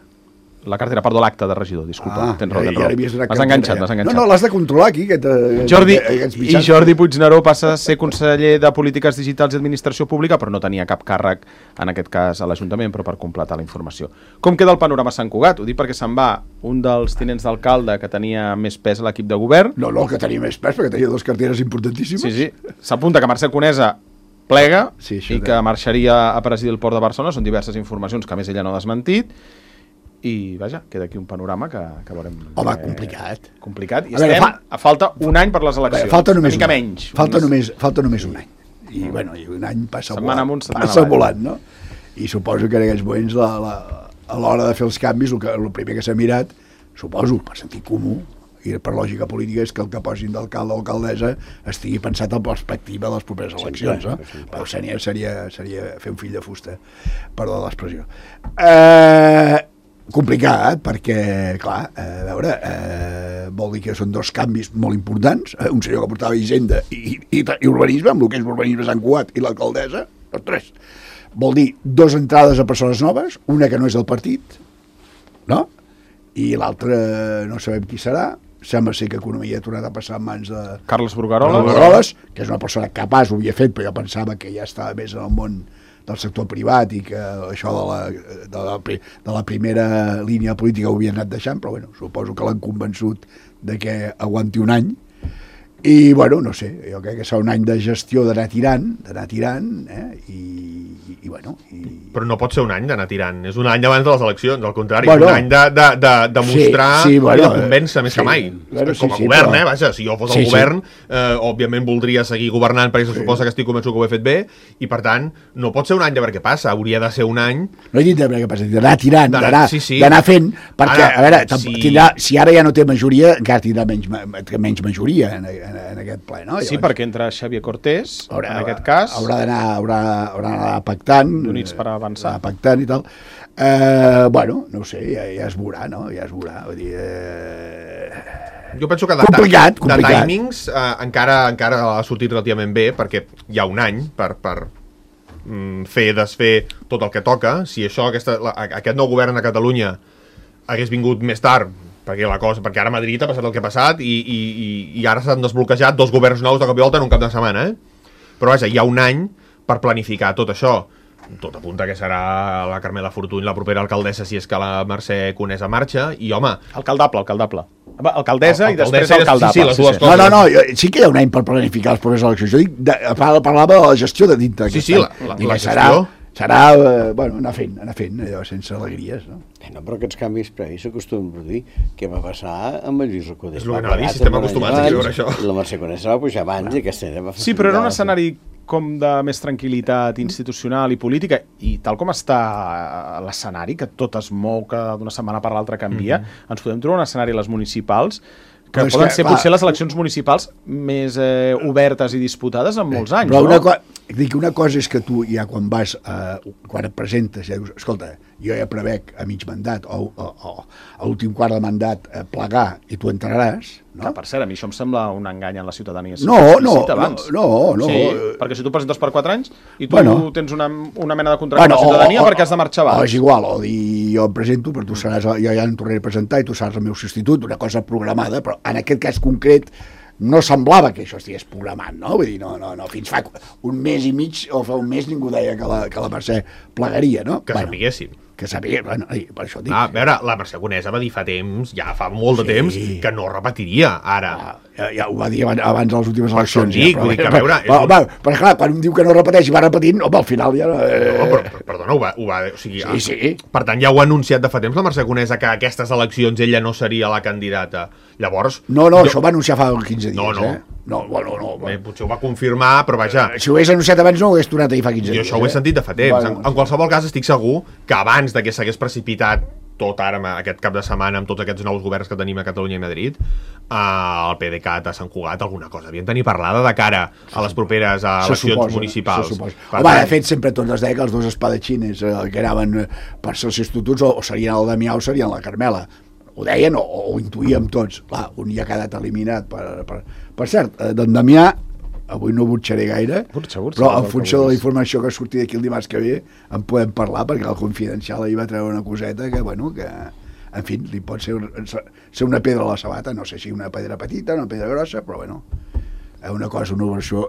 La cartera, perdó, l'acte de regidor, disculpa, ah, tens raó, tens ja, raó. ja M'has enganxat, m'has enganxat. No, no, l'has de controlar aquí, aquest, Jordi, aquest i Jordi Puigneró passa a ser conseller de Polítiques Digitals i Administració Pública, però no tenia cap càrrec, en aquest cas, a l'Ajuntament, però per completar la informació. Com queda el panorama a Sant Cugat? Ho dic perquè se'n va un dels tinents d'alcalde que tenia més pes a l'equip de govern. No, no, que tenia més pes, perquè tenia dues carteres importantíssimes. Sí, sí. S'apunta que Mercè Conesa plega sí, i que marxaria a presidir el Port de Barcelona. Són diverses informacions que, a més, ella no ha desmentit. I, vaja, queda aquí un panorama que, que veurem... Home, eh, complicat. Complicat. I a estem veure, fa... a falta un any per les eleccions. Veure, falta només una mica un menys. Falta, un només, falta només un any. I, mm. bueno, i un any passa setmana volant. Amunt, passa volant, no? I suposo que en aquells moments, la, la, a l'hora de fer els canvis, el, que, el primer que s'ha mirat, suposo, per sentir comú, i per lògica política, és que el que posin d'alcalde o alcaldessa estigui pensat en perspectiva de les properes eleccions, sí, no? Sí, però seria, seria, seria fer un fill de fusta, perdó de l'expressió. Eh... Complicat, perquè, clar, a veure, eh, vol dir que són dos canvis molt importants, eh, un senyor que portava Hisenda i, i, i urbanisme, amb el que és l'urbanisme Sant Cugat i l'alcaldessa, els tres. Vol dir dos entrades a persones noves, una que no és del partit, no? I l'altra no sabem qui serà, sembla ser que Economia ha tornat a passar en mans de Carles Brugueroles, Brugueroles, que és una persona capaç, ho havia fet, però jo pensava que ja estava més en el món del sector privat i que això de la, de la, de la primera línia política ho havia anat deixant, però bueno, suposo que l'han convençut de que aguanti un any. I, bueno, no sé, jo crec que serà un any de gestió d'anar tirant, d'anar tirant, eh? I, i, i, bueno... I... Però no pot ser un any d'anar tirant, és un any abans de les eleccions, al contrari, bueno, un any de, de, de, de mostrar sí, sí, bueno, i de convèncer més sí, que mai. bueno, Com a sí, sí, govern, però... eh, vaja, si jo fos sí, el govern, sí. eh, òbviament voldria seguir governant, perquè se sí. suposa que estic convençut que ho he fet bé, i per tant, no pot ser un any de veure què passa, hauria de ser un any... No he dit de veure què passa, d'anar tirant, d'anar sí, sí. fent, perquè, Ara, a veure, si... tindrà, si ara ja no té majoria, encara tindrà menys, menys majoria en, en, en aquest ple, no? Sí, perquè entra Xavier Cortés, haurà, en aquest cas... Haurà d'anar haurà, haurà d'anar pactant... D'Units per avançar. Pactant i tal. Eh, bueno, no ho sé, ja, ja es veurà, no? Ja es veurà, vull dir... Eh... Jo penso que de, complicat, de, complicat. de timings eh, encara, encara ha sortit relativament bé, perquè hi ha un any per, per mm, fer, desfer tot el que toca. Si això, aquesta, la, aquest nou govern a Catalunya hagués vingut més tard, perquè la cosa, perquè ara a Madrid ha passat el que ha passat i, i, i, i ara s'han desbloquejat dos governs nous de cop i volta en un cap de setmana, eh? Però vaja, hi ha un any per planificar tot això. Tot apunta que serà la Carmela Fortuny la propera alcaldessa si és que la Mercè Conesa marxa, i home... Alcaldable, alcaldable. Alcaldessa i després alcaldessa, alcaldable. sí, sí, les dues No, no, no, jo, sí que hi ha un any per planificar les properes eleccions. Jo dic, de, parlava de la gestió de dintre. Sí, sí, la, la, la gestió... Serà, serà eh, bueno, anar fent, anar fent, allò, sense alegries, no? Eh, no, però aquests canvis previs s'acostumen a produir. Què va passar amb el Lluís Recoder? És el que anava a dir, si estem acostumats a viure això. I la Mercè Conesa va pujar abans i aquesta va fer... Sí, però era un escenari com de més tranquil·litat institucional i política, i tal com està l'escenari, que tot es mou, que d'una setmana per l'altra canvia, mm-hmm. ens podem trobar un escenari a les municipals que però poden que, ser clar, potser les eleccions municipals més eh, obertes i disputades en molts anys, però una, no? co dic, una cosa és que tu ja quan vas, eh, quan et presentes, ja dius, escolta, jo ja prevec a mig mandat o, o, o a l'últim quart de mandat eh, plegar i tu entraràs, no? Que, per cert, a mi això em sembla un engany en la ciutadania. No, no, no, no, no. Sí, perquè si tu presentes per quatre anys i tu bueno, tens una, una mena de contracte bueno, amb la ciutadania o, o, perquè has de marxar abans. O és igual, o dir jo em presento, però tu seràs, jo ja em tornaré a presentar i tu seràs el meu substitut, una cosa programada, però en aquest cas concret no semblava que això estigués programat, no? Vull dir, no, no, no, fins fa un mes i mig o fa un mes ningú deia que la, que la Mercè plegaria, no? Que bueno, sapiguessin. Que sapigués, bueno, per això dic. Ah, a veure, la Mercè Conesa va dir fa temps, ja fa molt de Sí. temps, que no repetiria, ara. Ah, ja, ja ho va dir abans, abans de les últimes Per això eleccions. dic, ja, però, vull dir que, a però, veure, és però, un- però, però, clar, quan un diu que no repeteix i va repetint, home, al final ja... Eh... No, però, però, perdona, ho va, ho va, o sigui, Sí, sí. Per tant, ja ho ha anunciat de fa temps la Mercè Conesa que a aquestes eleccions ella no seria la candidata. Llavors... No, no, jo- això ho va anunciar fa quinze dies, No, no. eh? No, bueno, no. Bé, potser ho va confirmar, però vaja... Si ho hagués anunciat abans no ho hagués tornat a dir fa quinze Jo dies. això ho he eh? sentit de fa temps. Bueno, en, en qualsevol cas, estic segur que abans de que s'hagués precipitat tot ara, amb aquest cap de setmana, amb tots aquests nous governs que tenim a Catalunya i Madrid, eh, el PDeCAT a Sant Cugat alguna cosa havien tenir parlada de cara a les properes a se eleccions suposa, municipals. se suposa. Per Home, tant, de fet, sempre tots es deia que els dos espadatxines eh, que anaven eh, per ser els substituts o, o serien el Damià o serien la Carmela. Ho deien o, o ho intuïem tots. Clar, un ja ha quedat eliminat. Per, per, per cert, eh, d'en Damià, avui no butxaré gaire, Burxa, burxa, però en el que funció de la vulguis. informació que surti d'aquí el dimarts que ve en podem parlar, perquè el Confidencial ahir va treure una coseta que, bueno, que en fi, li pot ser, ser una pedra a la sabata, no sé si una pedra petita, una pedra grossa, però bueno, una cosa, una versió,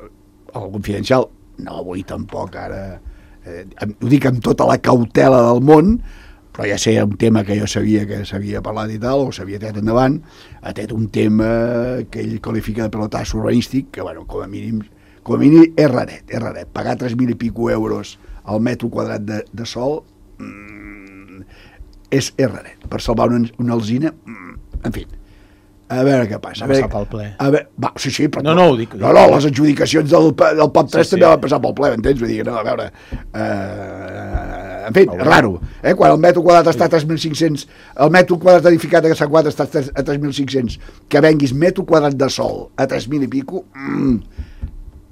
el Confidencial, no vull tampoc ara, eh, ho dic amb tota la cautela del món, però ja sé un tema que jo sabia que s'havia parlat i tal, o s'havia tret endavant, ha tret un tema que ell qualifica de pelotasso urbanístic, que, bueno, com a mínim, com a mínim és raret, és raret. Pagar tres mil i pico euros al metro quadrat de, de sol mmm, és, és raret. Per salvar una, una alzina, mmm, en fi, a veure què passa. Va passar pel ple. A veure, va, sí, sí, però... No, no, ho dic. No, no, les adjudicacions del, del P A P tres Sí, sí. també van passar pel ple, m'entens? Vull dir, no, a veure... Eh, en fi, raro. Eh? Quan el metro quadrat està a tres mil cinc-cents, el metro quadrat edificat a Sant Cugat està a tres mil cinc-cents, que venguis metro quadrat de sol a tres mil i pico, mm,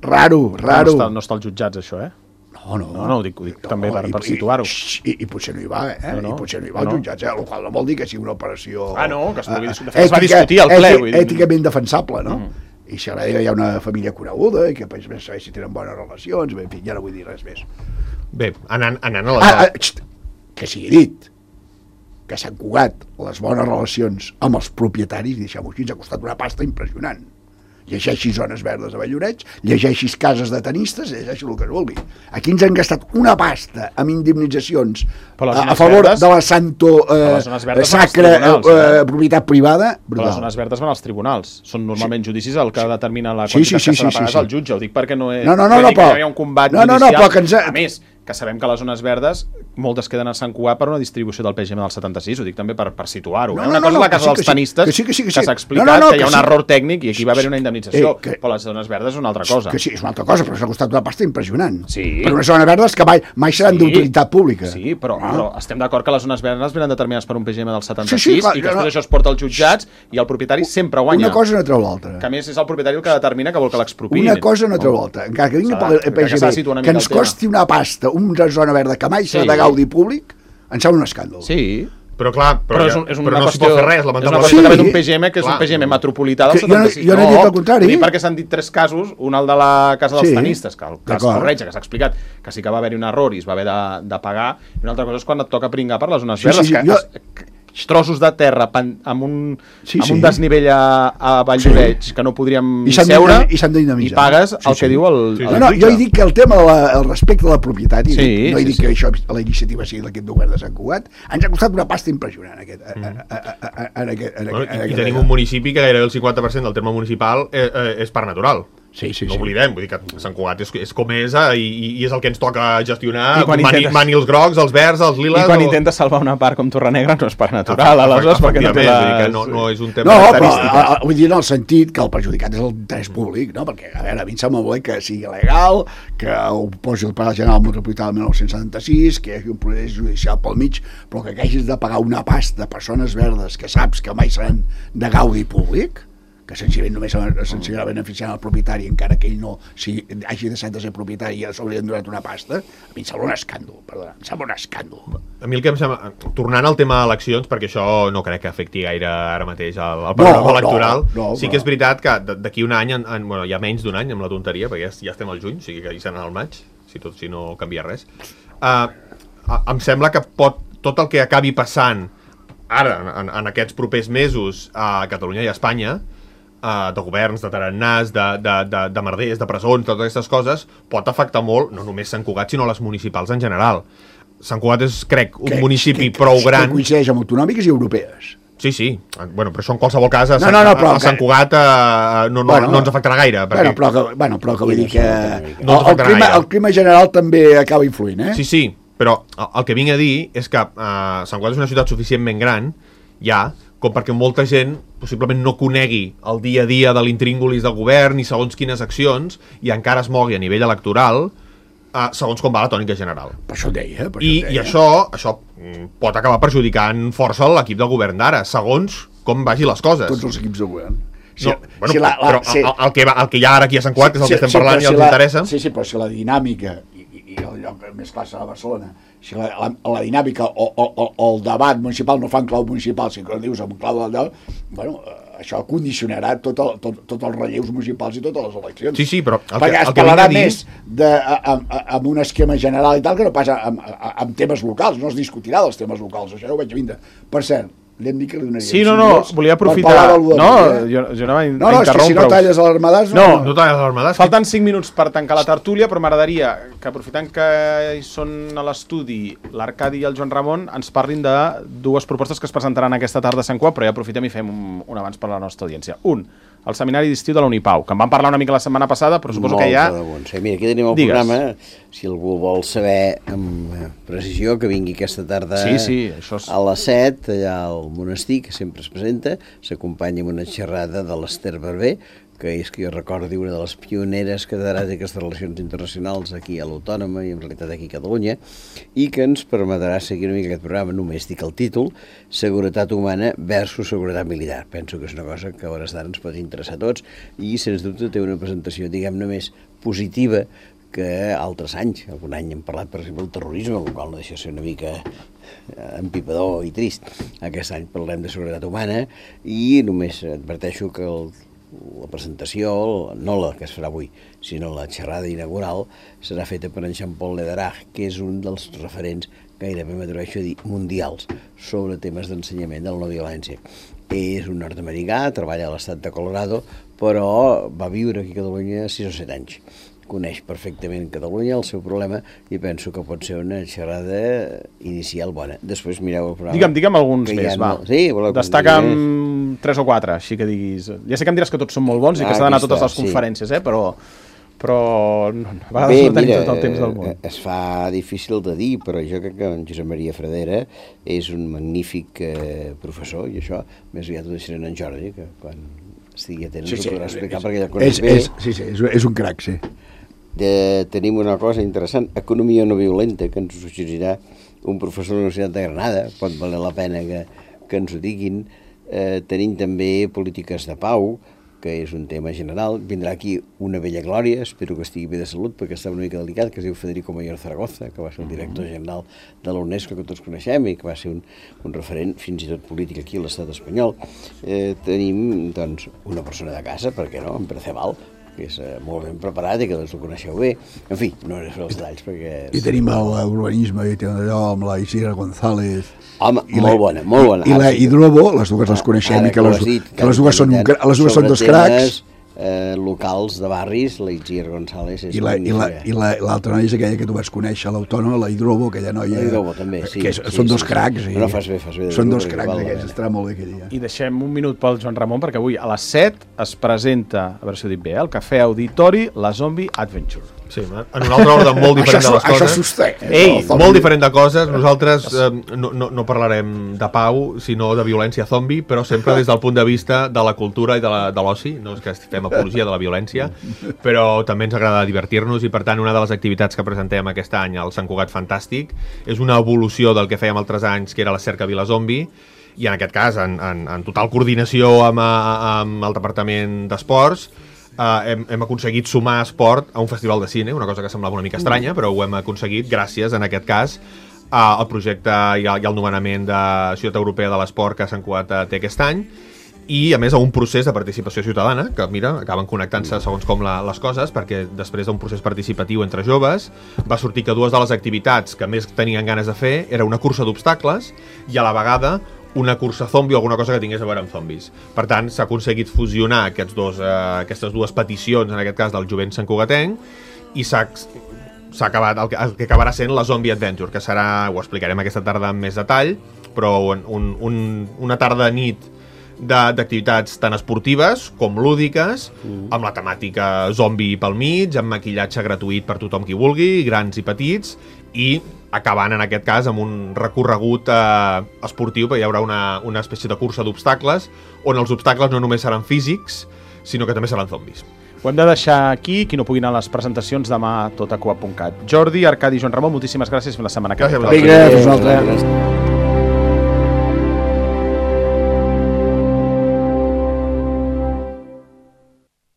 raro, raro. No està, no està als jutjats, això, eh? No, no, No, no, ho dic, ho dic també per, per situar-ho. I, i, I potser no hi va, eh? No, no. I potser no hi va als No, no. jutjats, eh? El qual no vol dir que sigui una operació... Ah, no, que es pugui eh, discutir. De fet, es va discutir al ple, ètic- vull dir. Èticament defensable, no? Mm. I si a darrere hi ha una família coneguda i que pues, bé saber si tenen bones relacions, bé, en fi, ja no vull dir res més. bé, anant, anant a la... Ah, ah, xt, que sigui dit. que Sant Cugat, les bones relacions amb els propietaris, deixem-ho així, ens ha costat una pasta impressionant. Llegeixi zones verdes a Valloreig, llegeixi cases de tenistes, llegeixi el que es vulgui. Aquí ens han gastat una pasta amb indemnitzacions a, a favor verdes, de la santo eh, sacra eh, propietat privada. Brutal. Però les zones verdes van als tribunals. Són normalment sí. judicis el que determina la quantitat sí, sí, sí, que s'ha de pagar sí, sí, sí. al jutge. Ho dic perquè no és... No, no, no, no, però... hi ha un combat no, no, judicial. No, però que ens ha... A més, que sabem que les zones verdes moltes queden a Sant Cugat per una distribució del P G M del setanta-sis, ho dic també per, per situar-ho. No, eh? Una no, cosa no, és la casa sí, dels sí, tenistes, que, sí, que, sí, que, sí. que s'ha explicat no, no, no, que hi ha un sí. error tècnic i aquí va haver una indemnització, eh, que... però les zones verdes és una altra cosa. Que sí, és una altra cosa, però s'ha costat una pasta impressionant. Sí. Per unes zones verdes que mai, mai seran sí. d'utilitat pública. Sí, però, ah. però estem d'acord que les zones verdes venen determinades per un P G M del setanta-sis sí, sí, clar, i que després no. això es porta als jutjats i el propietari sempre guanya. Una cosa no treu l'altra. Que a més és el propietari el que determina que vol que l'expropiïn. Una cosa no treu l'altra. Encara que vingui pel P G M, que ens costi una pasta, una zona verda que mai serà de gaudi públic, em sembla un escàndol. Sí. Però clar, però, però, és un, és però no s'hi qüestió, pot fer res, lamentablement. És una qüestió sí. d'un P G M que és clar. un P G M metropolità del que setanta-sis. Jo no, jo no he dit el contrari. No, perquè s'han dit tres casos, un el de la Casa dels sí. Tenistes, que el cas Corretja, que s'ha explicat que sí que va haver-hi un error i es va haver de, de pagar, i una altra cosa és quan et toca pringar per les zones sí, verdes, sí, sí, que jo... es, trossos de terra pan, amb, un, sí, amb sí. un desnivell a, a Valldoreix sí. que no podríem I seure i, i pagues sí, el sí. que diu el, sí, sí. el no, no, jutge. jo he dit que el tema del respecte de la propietat, sí, no he sí, dit sí. que això, la iniciativa sigui d'aquest govern de Sant Cugat, ens ha costat una pasta impressionant aquest, mm. a, a, a, a, en aquest, en bueno, aquest, i aquest tenim un municipi que gairebé el cinquanta per cent del terme municipal eh, eh, és parc natural. Sí, sí, no sí. oblidem, vull dir que Sant Cugat és, és com és eh, i, i és el que ens toca gestionar, I mani, intentes... mani els grocs, els verds, els liles... I quan o... intenta salvar una part com Torrenegra no és parc natural, ah, aleshores perquè no té les... No, no és un tema no, característic. No, però vull dir en el sentit que el perjudicat és el interès públic, no? Perquè, a veure, a mi em sembla molt bé que sigui legal, que ho posi el Pla General Metropolità del dinou setanta-sis, que hi hagi un procés judicial pel mig, però que hagis de pagar una pasta a persones verdes que saps que mai seran de gaudi públic, que senzillament només s'ensenyarà beneficiant el propietari encara que ell no si hagi deixat de ser propietari i s'hauria donat una pasta, a mi em sembla un escàndol, perdona, em sembla un escàndol. A mi el que em sembla, tornant al tema eleccions, perquè això no crec que afecti gaire ara mateix el, el programa no, electoral, no, no, sí que és veritat que d'aquí un any, en, en, bueno, hi ha menys d'un any amb la tonteria, perquè ja, ja estem al juny, o sigui que hi serà al maig, si, tot, si no canvia res, uh, em sembla que pot, tot el que acabi passant ara, en, en aquests propers mesos a Catalunya i a Espanya, Uh, de governs, de tarannàs, de, de, de, de merders, de presons, totes aquestes coses, pot afectar molt, no només Sant Cugat, sinó les municipals en general. Sant Cugat és, crec, un que, municipi que, prou gran... Que coincideix amb autonòmiques i europees. Sí, sí, bueno, però això en qualsevol cas a, no, no, no, a, a Sant Cugat uh, no, no, bueno, no ens afectarà gaire. Perquè... Bueno, però que, bueno, però que vull dir que... No el, el, clima, el clima general també acaba influint, eh? Sí, sí, però el que vinc a dir és que uh, Sant Cugat és una ciutat suficientment gran, ja, com perquè molta gent possiblement no conegui el dia a dia de l'intríngulis del govern i segons quines accions i encara es mogui a nivell electoral eh, segons com va la tònica general. Per això deia. Per I, això deia. I això, això pot acabar perjudicant força l'equip del govern d'ara, segons com vagi les coses. Tots els equips del govern. Si, no, bueno, si la, la, però si, el, el, que va, el que hi ha ara aquí a Sant Cugat, si, que és el que estem si, parlant i si els la, interessa... Sí, sí, però si la dinàmica, i, i, i el lloc més clar serà Barcelona, si la, la, la dinàmica o, o, o, o el debat municipal no fa en clau municipal, si que dius en clau del debat, bueno, això condicionarà tot el, tot, tot els relleus municipals i totes les eleccions. Sí, sí, però... El perquè que, es el que parlarà dir... més de, amb, amb un esquema general i tal que no passa amb, amb temes locals, no es discutirà dels temes locals, això ja ho vaig vindre. Per cert, l'hem dit que li donaríem sí, no, no, volia aprofitar no, jo, jo no, no, no, és que si no talles l'alarmadàs no, no, no talles l'alarmadàs falten cinc minuts per tancar la tertúlia, però m'agradaria que aprofitant que hi són a l'estudi l'Arcadi i el Joan Ramon ens parlin de dues propostes que es presentaran aquesta tarda a Sant Cugat, però ja aprofitem i fem un, un abans per a la nostra audiència. Un, el seminari d'estiu de la Unipau, que en vam parlar una mica la setmana passada, però suposo Molt que ja... Sí, mira, aquí tenim el Digues. programa, si algú vol saber amb precisió, que vingui aquesta tarda sí, sí, això és... a les set, allà al monestir, que sempre es presenta, s'acompanya amb una xerrada de l'Ester Barber, que és que jo recordi una de les pioneres catedràtiques de relacions internacionals aquí a l'Autònoma i en realitat aquí a Catalunya, i que ens permetrà seguir una mica aquest programa, només dic el títol, Seguretat humana versus seguretat militar. Penso que és una cosa que a hores d'ara ens pot interessar a tots i, sens dubte, té una presentació, diguem-ne, més positiva que altres anys. Algun any hem parlat, per exemple, del terrorisme, el qual no deixa de ser una mica empipador i trist. Aquest any parlem de seguretat humana i només adverteixo que el la presentació, no la que es farà avui, sinó la xerrada inaugural, serà feta per en Jean-Paul Lederach, que és un dels referents, gairebé m'atreveixo a dir, mundials, sobre temes d'ensenyament de la no violència. És un nord-americà, treballa a l'estat de Colorado, però va viure aquí a Catalunya sis o set anys. Coneix perfectament Catalunya, el seu problema, i penso que pot ser una xerrada inicial bona. Després mireu el programa. Digue'm, digue'm alguns més, va. No... Sí, destaca'm tres o quatre, així que diguis... Ja sé que em diràs que tots són molt bons ah, i que s'ha d'anar a totes les conferències, sí. eh? però... però no, a vegades Bé, no tenim mira, tot el temps del món. Es fa difícil de dir, però jo crec que en Josep Maria Fradera és un magnífic eh, professor, i això més aviat ho deixaré en Jordi, que quan estigui atent sí, sí, ho podrà explicar, és, perquè ja coneix és, bé. És, sí, sí, és, és un crac, sí. De, tenim una cosa interessant, economia no violenta, que ens suggerirà un professor de la Universitat de Granada, pot valer la pena que, que ens ho diguin. Eh, tenim també polítiques de pau, que és un tema general. Vindrà aquí una vella glòria, espero que estigui bé de salut, perquè està una mica delicat, que es diu Federico Mayor Zaragoza, que va ser el director general de la UNESCO, que tots coneixem, i que va ser un, un referent fins i tot polític aquí a l'estat espanyol. Eh, tenim, doncs, una persona de casa, per què no, en Perceval, que és uh, molt ben preparat i que doncs, ho coneixeu bé. En fi, no és els detalls perquè... I tenim l'urbanisme, i tenim allò amb la Isidra González... Home, I molt la, bona, molt bona. I, i la Hidrobo, les dues les coneixem, ara, i que les, dit, que les dues són, les dues són dos cracs. Eh, locals de barris, la Itziar González és i l'altra la, la, la, noia és aquella que tu vas conèixer, l'autònoma, la Hidrobo, aquella noia... La Hidrobo també, sí. Que és, sí són sí, dos sí, cracs. Sí. I, no, fas bé, fas bé. Són dos cracs aquests, estarà molt bé aquell dia. I deixem un minut pel Joan Ramon, perquè avui a les set es presenta, a veure si ho dic bé, al Cafè Auditori, la Zombie Adventure. Sí, en un altre ordre molt diferent de les coses. Això s'ho Ei, molt diferent de coses. Nosaltres eh, no, no, no parlarem de pau, sinó de violència zombi, però sempre des del punt de vista de la cultura i de l'oci. No és que fem apologia de la violència, però també ens agrada divertir-nos i, per tant, una de les activitats que presentem aquest any al Sant Cugat Fantàstic és una evolució del que fèiem altres anys, que era la Cerca Vila Zombi, i en aquest cas, en, en, en total coordinació amb, amb el Departament d'Esports, Uh, hem, hem aconseguit sumar esport a un festival de cine, una cosa que semblava una mica estranya, però ho hem aconseguit gràcies, en aquest cas, uh, al projecte i, a, i al nomenament de Ciutat Europea de l'Esport que Sant Cugat té aquest any, i a més a un procés de participació ciutadana, que mira, acaben connectant-se segons com la, les coses, perquè després d'un procés participatiu entre joves va sortir que dues de les activitats que més tenien ganes de fer era una cursa d'obstacles i a la vegada una cursa zombi o alguna cosa que tingués a veure amb zombis. Per tant, s'ha aconseguit fusionar aquests dos, eh, aquestes dues peticions, en aquest cas del jovent santcugatenc, i s'ha s'ha acabat el que, el que acabarà sent la Zombie Adventure, que serà, ho explicarem aquesta tarda amb més detall, però un, un, una tarda nit d'activitats tant esportives com lúdiques, mm. amb la temàtica zombi pel mig, amb maquillatge gratuït per tothom qui vulgui, grans i petits, i acabant en aquest cas amb un recorregut eh, esportiu, perquè hi haurà una, una espècie de cursa d'obstacles, on els obstacles no només seran físics, sinó que també seran zombis. Ho hem de deixar aquí, qui no pugui anar a les presentacions demà tot a coa punt cat. Jordi, Arcadi i Joan Ramon, moltíssimes gràcies, fins la setmana que ve. Vinga, fins una altra.